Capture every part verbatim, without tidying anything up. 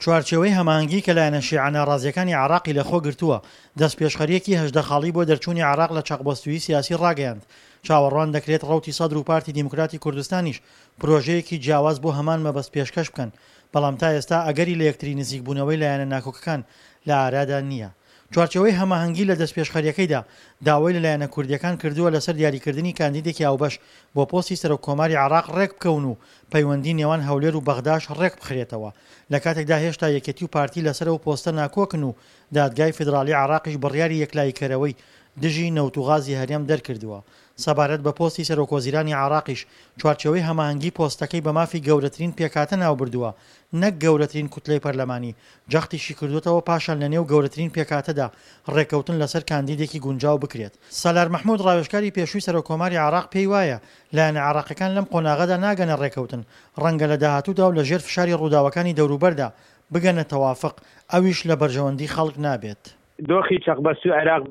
چوارچێوەی هەماهەنگی کە لایەنە شیعە ناڕازییەکانی عێراقی لەخۆ گرتووە، دەستپێشخەرییەکی هەژدە خاڵی بۆ دەرچوونی عێراق لە چەقبەستوویی سیاسی ڕاگەیاند. چاوەڕوان دەکرێت ڕەوتی سەدر و پارتی دیموکراتی کوردستانیش پرۆژەیەکی جیاواز بۆ هەمان مەبەست پێشکەش بکەن، بەڵام تا ئێستا ئەگەری لە یەکتری نزیکبوونەوەی لایەنە ناکۆکەکان لە ئارادا نییە. چوارچێوەی هەماهەنگی لە دەستپێشخەرییەکەیدا داوای لە لایەنە کوردییەکان کردووە لەسەر دیاریکردنی کاندیدێکی هاوبەش بۆ پۆستی سەرۆککۆماری عێراق ڕێکبکەون و پەیوەندی نێوان هەولێر و بەغداش ڕێکبخرێتەوە لە کاتێکدا هێشتا یەکێتی و پارتی لەسەر ئەو پۆستە ناکۆکن و دادگای فیدراڵی عێراقیش بڕیاری یەکلاییکەرەوەی دژی نەوت و غازی هەرێم دەرکردووە. سەبارەت بە پۆستی سەرۆکوەزیرانی عێراقیش، چوارچێوەی هەماهەنگی پۆستەکەی بە مافی گەورەترین پێکهاتە ناوبردووە نەک گەورەترین کوتلەی پەرلەمانی، جەختیشی کردووەتەوە پاشان لەنێو گەورەترین پێکهاتەدا ڕێککەوتن لەسەر کاندیدێکی گونجاو بکرێت. سالار مەحمود ڕاوێژکاری پێشووی سەرۆککۆماری عێراق پێی وایە، لایەنە عێراقیەکان لەم قۆناغەدا ناگەنە ڕێککەوتن، ڕەنگە لە داهاتوودا و لەژێر فشاری ڕووداوەکانی دەوروبەردا بگەنە تەوافق، ئەویش لە بەرژەوەندی خەڵک نابێت. دۆخی چەقبەستووی عێراق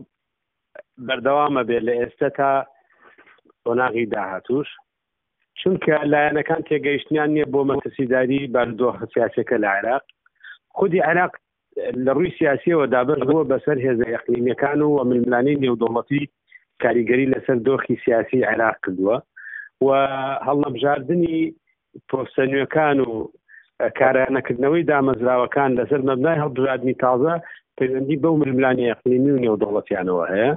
بەردەوام ئەبێت لە ئێستە تا قۆناغی داهاتووش، چونکە لایەنەکان تێگەیشتنیان نییە بۆ مەترسیداری بارودۆخە سیاسیەکە لە عێراق. خودی عێراق لە ڕووی سیاسیەوە دابەش بووە بەسەر هێزە ئەقلیمیەکان و ململانێی نێودەوڵەتی کاریگەری لەسەر دۆخی سیاسی عێراق کردووە و هەڵنەبژاردنی پۆستە نوێکان و کارانەکردنەوەی دامەزراوەکان لەسەر مەبنای هەڵبژاردنی تازە پەیوەندی بەو ململانێ ئەقلیمی و نێودەوڵەتیانەوە هەیە.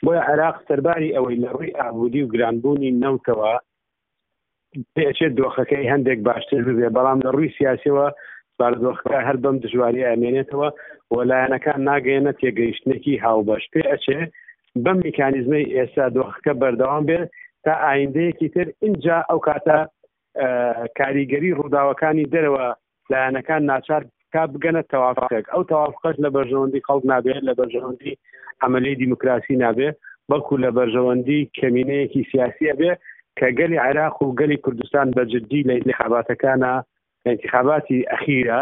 بۆیە عێراق سەرباری ئەوەی لە ڕووی ئابووری و گرانبوونی نەوتەوە پێچێت دۆخەکەی هەندێک باشتر ببێ، بەڵام لە ڕووی سیاسیەوە بارودۆخەکە هەر بەم دژواری ئەمێنێتەوە و لایەنەکان ناگەیەنە تێگەیشتنێکی هاوبەش. پێ ئەچێ بەم میکانیزمەی ئێستا دۆخەکە بەردەوام بێت تا ئایندەیەکی تر، ئینجا ئەو کاتە کاریگەری ڕووداوەکانی دەرەوە لایەنەکان ناچار تا بگەنە تەوافقێک. ئەو تەوافقەش لە بەرژەوەندی خەڵک نابێت، لە بەرژەوەندی عەمەلی دیموکراسی نابێت، بەڵکو لە بەرژەوەندی کەمینەیەکی سیاسی ئەبێ کە گەلی عێراق و گەلی کوردستان بە جدی لە ئینتخاباتەکانە، لە ئینتخاباتی ئەخیرە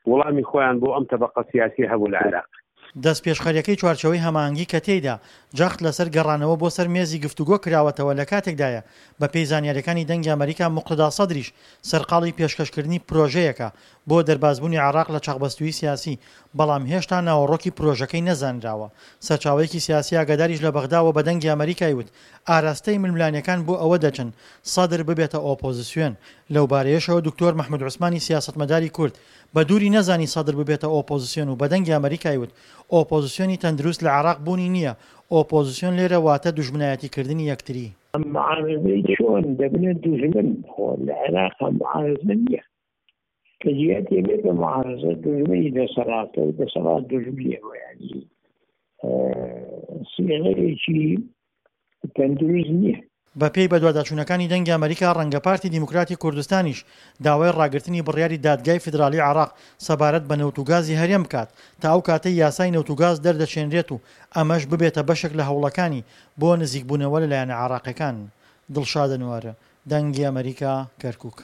وڵامی خۆیان بۆ ئەم تەبەقە سیاسیە هەبوو لە عێراق. دەستپێشخەرییەکەی چوارچێوەی هەماهەنگی کە تێیدا جەخت لەسەر گەڕانەوە بۆ سەر مێزی گفتوگۆ کراوەتەوە لەکاتێکدایە بەپێی زانیارییەکانی دەنگی ئەمەریکا موقتەدا سەدریش سەرقاڵی پێشکەشکردنی پرۆژەیەکە بۆ دەربازبوونی عێراق لە چەقبەستوویی سیاسی بەڵام هێشتا ناوەڕۆکی پرۆژەکەی نەزانراوە. سەرچاوەیەکی سیاسی ئاگاداریش لە بەغداوە بە دەنگی ئەمەریکای وت ئاراستەی ململانێکان بۆ ئەوە دەچن سەدر ببێتە ئۆپۆزسیۆن. لەوبارەیەشەوە دکتۆر مەحمود عوسمانی سیاسەتمەداری کورد بە دووری نەزانی سەدر ببێتە ئۆپۆزسیۆن و بە دەنگی ئەمەریکای وت ئۆپۆزسیۆنی تەندروست لە عێراق بوونی نییە، ئۆپۆزسیۆن لێرە واتە دوژمنایەتیکردنی یەکتری. معارزەی چۆن دەبنە دوژمن؟ خۆ لە عێراقا معارزە نییە کە جیاتی بێت بە معارزە، دوژمنی دەسەڵاتە و دەسەڵات دوژمنی ئەوە، یعنی سیغەیەکی تەندروست نییە. بەپێی بەدواداچوونەکانی دەنگی ئەمەریکا، ڕەنگە پارتی دیموکراتی کوردستانیش داوای ڕاگرتنی بڕیاری دادگای فیدراڵی عێراق سەبارەت بە نەوت و گازی هەرێم بکات تا ئەو کاتەی یاسای نەوت و گاز دەردەچێنرێت و ئەمەش ببێتە بەشێک لە هەوڵەکانی بۆ نزیکبوونەوە لە لایەنە عێراقیەکان. دڵشاد ئەنوەر، دەنگی ئەمەریکا، کەرکوک.